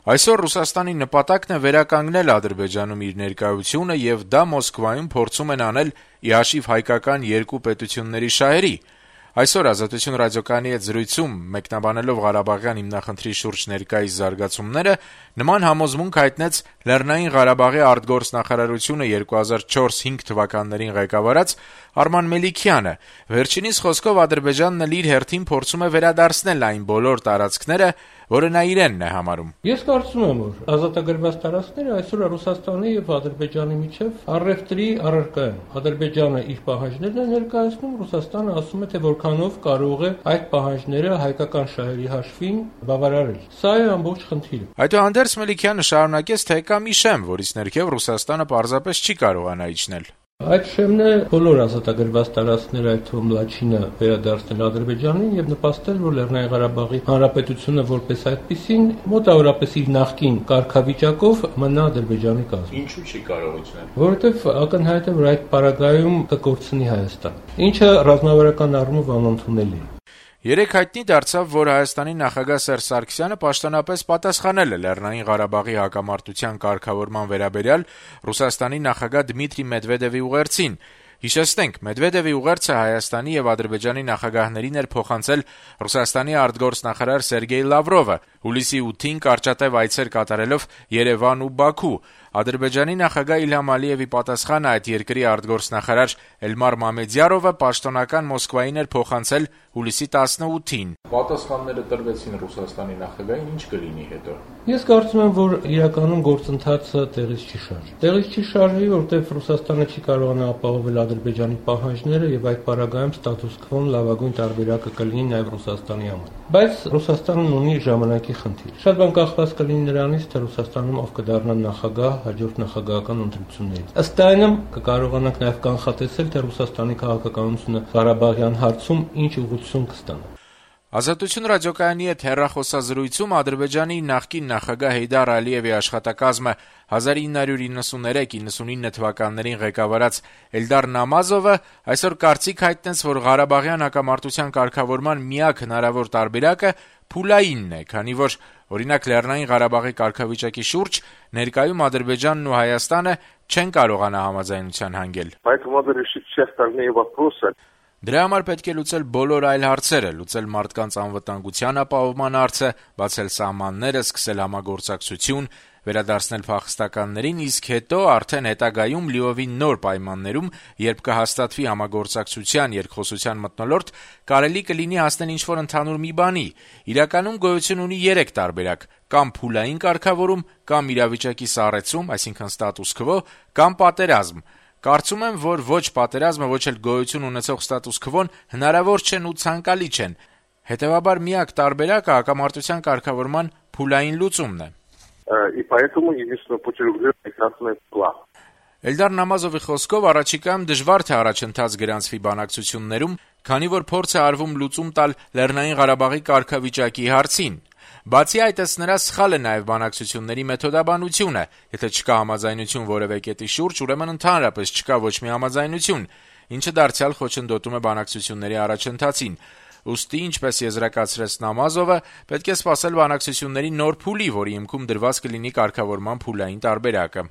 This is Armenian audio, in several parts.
Այսօր Ռուսաստանի նպատակն է վերականգնել Ադրբեջանում իր ներկայությունը եւ դա Մոսկվայում փորձում են անել ի հաշիվ հայկական երկու պետությունների շահերի։ Այսօր «Ազատություն» ռադիոկայանի հետ զրույցում մեկնաբանելով Ղարաբաղյան հիմնախնդրի շուրջ ներկայիս զարգացումները, նման համոզմունք հայտնեց Լեռնային Ղարաբաղի արտգործնախարարությունը 2004-5 թվականներին ղեկավարած Արման Մելիքյանը։ Վերջինիս խոսքով Ադրբեջանն էլ իր հերթին փորձում է վերադարձնել այն բոլոր տարածքները, որը նա իրենն է համարում։ Ես կարծում եմ, որ ազատագրված տարածքները այսօր Ռուսաստանի եւ Ադրբեջանի միջեւ առևտրի առարկա են։ Ադրբեջանը իր պահանջներն է ներկայացնում, Ռուսաստանը ասում է, թե որքանով կարող է այդ պահանջները հայկական շահերի հաշվին բավարարել։ Սա է ամբողջ խնդիրը։ Այդուհանդերձ Մելիքյանը շարունակեց, թե կա մի շեմ, որից ներքև Ռուսաստանը պարզապես չի կարողանա իջնել։ Այդ շեմն է բոլոր ազատագրված տարածքները, այդ թվում Լաչինը վերադարձնել Ադրբեջանին եւ նպաստել, որ Լեռնային Ղարաբաղի Հանրապետությունը որպես այդպիսին մոտավորապես իր նախկին կարգավիճակով մնա Ադրբեջանի կազմում։ Ինչու՞ չի կարող իջնել։ Որովհետեւ ակնհայտ է, որ այդ պարագայում կկորցնի Հայաստան, ինչը ռազմավարական առումով անընդունելի է։ Երեկ հայտնի դարձավ, որ Հայաստանի նախագահ Սերժ Սարգսյանը պաշտոնապես պատասխանել է Լեռնային Ղարաբաղի հակամարտության կարգավորման վերաբերյալ Ռուսաստանի նախագահ Դմիտրի Մեդվեդևի ուղերձին։ Հիշեցնենք, Մեդվեդևի ուղերձը Հայաստանի եւ Ադրբեջանի նախագահներին էր փոխանցել Ռուսաստանի արտգործնախարար Սերգեյ Լավրովը, հուլիսի 8-ին կարճատև այցեր կատարելով Երևան ու Բաքու։ Ադրբեջանի նախագահ Իլհամ Ալիևի պատասխանը այդ երկրի արտգործնախարար Էլմար Մամեդյարովը պաշտոնական Մոսկվային էր փոխանցել հուլիսի 18-ին։ Պատասխանները տրվեցին Ռուսաստանի նախագահին, ինչ կլինի հետո։ Ես կարծում եմ, որ իրականում գործընթացը տեղից չի շարժի։ Տեղից չի շարժի, որովհետև Ռուսաստանը չի կարողանա ապահովել Ադրբեջանի պահանջները եւ այդ պարագայում ստատուս քվոն լավագույն տարբերակը կլինի նաեւ Ռուսաստանի համար։ Բայց Ռուսաստանն ունի ժամանակի խնդիր։ Շատ բան կախված կլինի նրանից, թե Ռուսաստանում ով կդառնա նախագահ հաջորդ նախագահական ընտրություններից։ Ըստ այնմ կկարողանանք նաեւ կանխատեսել, թե Ռուսաստանի քաղաքականությունը Ղարաբաղյան հարցում ինչ ուղղություն կստանա։ Ազատություն ռադիոկայանի հետ հեռախոսազրույցում Ադրբեջանի նախկին նախագահ Հեյդար Ալիևի աշխատակազմը 1993-99 թվականներին ղեկավարած Էլդար Նամազովը այսօր կարծիք հայտնեց, որ Ղարաբաղյան հակամարտության կարգավորման միակ հնարավոր տարբերակը փուլայինն է, քանի որ օրինակ Լեռնային Ղարաբաղի կարգավիճակի շուրջ ներկայում Ադրբեջանն ու Հայաստանը չեն կարողանա համաձայնության հանգել։ Դրա համար պետք է լուծել բոլոր այլ հարցերը, լուծել մարդկանց անվտանգության ապահովման հարցը, բացել սահմանները, սկսել համագործակցություն, վերադարձնել փախստականներին, իսկ հետո արդեն հետագայում լիովին նոր պայմաններում, երբ կհաստատվի համագործակցության երկխոսության մթնոլորտ, կարելի կլինի հասնել ինչ-որ ընդհանուր մի բանի։ Իրականում գոյություն ունի 3 տարբերակ՝ կամ փուլային կարգավորում, կամ իրավիճակի սառեցում, այսինքն ստատուս քվո, կամ պատերազմ։ Կարծում եմ, որ ոչ պատերազմը, ոչ էլ գոյություն ունեցող ստատուս քվոն հնարավոր չեն ու ցանկալի չեն։ Հետևաբար միակ տարբերակը հակամարտության կարգավորման փուլային լուծումն է։ Էլդար Նամազովի խոսքով առաջիկայում դժվար թե առաջընթաց գրանցվի բանակցություններում, քանի որ փորձ է արվում լուծում տալ Լեռնային Ղարաբաղի կարգավիճակի հարցին։ Բացի այդ, ըստ նրա, սխալ է նաև բանակցությունների մեթոդաբանությունը։ Եթե չկա համաձայնություն որևէ կետի շուրջ, ուրեմն ընդհանրապես չկա ոչ մի համաձայնություն, ինչը դարձյալ խոչընդոտում է բանակցությունների առաջընթացին։ Ուստի, ինչպես եզրակացրեց Նամազովը, պետք է սպասել բանակցությունների նոր փուլի, որի հիմքում դրված կլինի կարգավորման փուլային տարբերակը։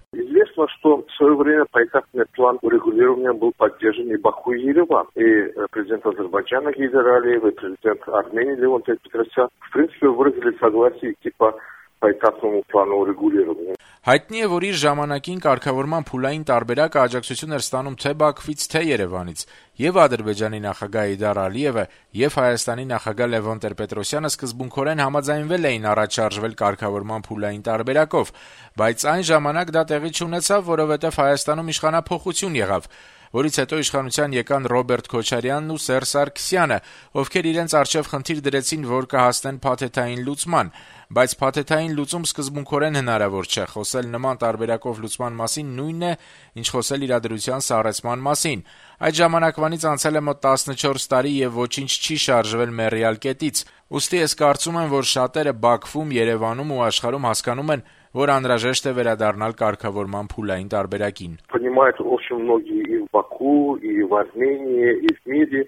Что в свое время поэтапный план урегулирования был поддержан и Баку, и Ереван. И президент Азербайджана Гейдар Алиев, и президент Армении Левон Тет-Петросян в принципе выразили согласие типа по этапному плану урегулирования. Հայտնի է, որ իր ժամանակին կարգավորման փուլային տարբերակը աջակցություն էր ստանում թե Բաքվից, թե Երևանից, եւ Ադրբեջանի նախագահ Հեյդար Ալիևը, եւ Հայաստանի նախագահ Լևոն Տեր-Պետրոսյանը սկզբունքորեն համաձայնվել էին առաջ շարժվել կարգավորման փուլային տարբերակով, բայց այն ժամանակ դա տեղի չունեցավ, որովհետեւ Հայաստանում իշխանափոխություն եղավ, որից հետո իշխանության եկան Ռոբերտ Քոչարյանն ու Սերժ Սարգսյանը, ովքեր իրենց առջև խնդիր դրեցին, որ կհասնեն փաթեթային լուծման, բայց փաթեթային լուծում սկզբունքորեն հնարավոր չէ, խոսել նման տարբերակով լուծման մասին նույնն է, ինչ խոսել իրադրության սառեցման մասին։ Այդ ժամանակվանից անցել է մոտ 14 տարի եւ ոչինչ չի շարժվել մեռյալ կետից։ Ուստի ես կարծում եմ, որ շատերը Բաքվում, Երևանում ու աշխարհում հասկանում են, որ անհրաժեշտ է վերադառնալ կարգավորման փուլային տարբերակին։ Понимают очень многие и в Баку, и в Армении, и в мире.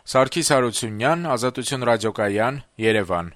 Սարգիս Հարությունյան, Ազատություն ռադիոկայան, Երևան։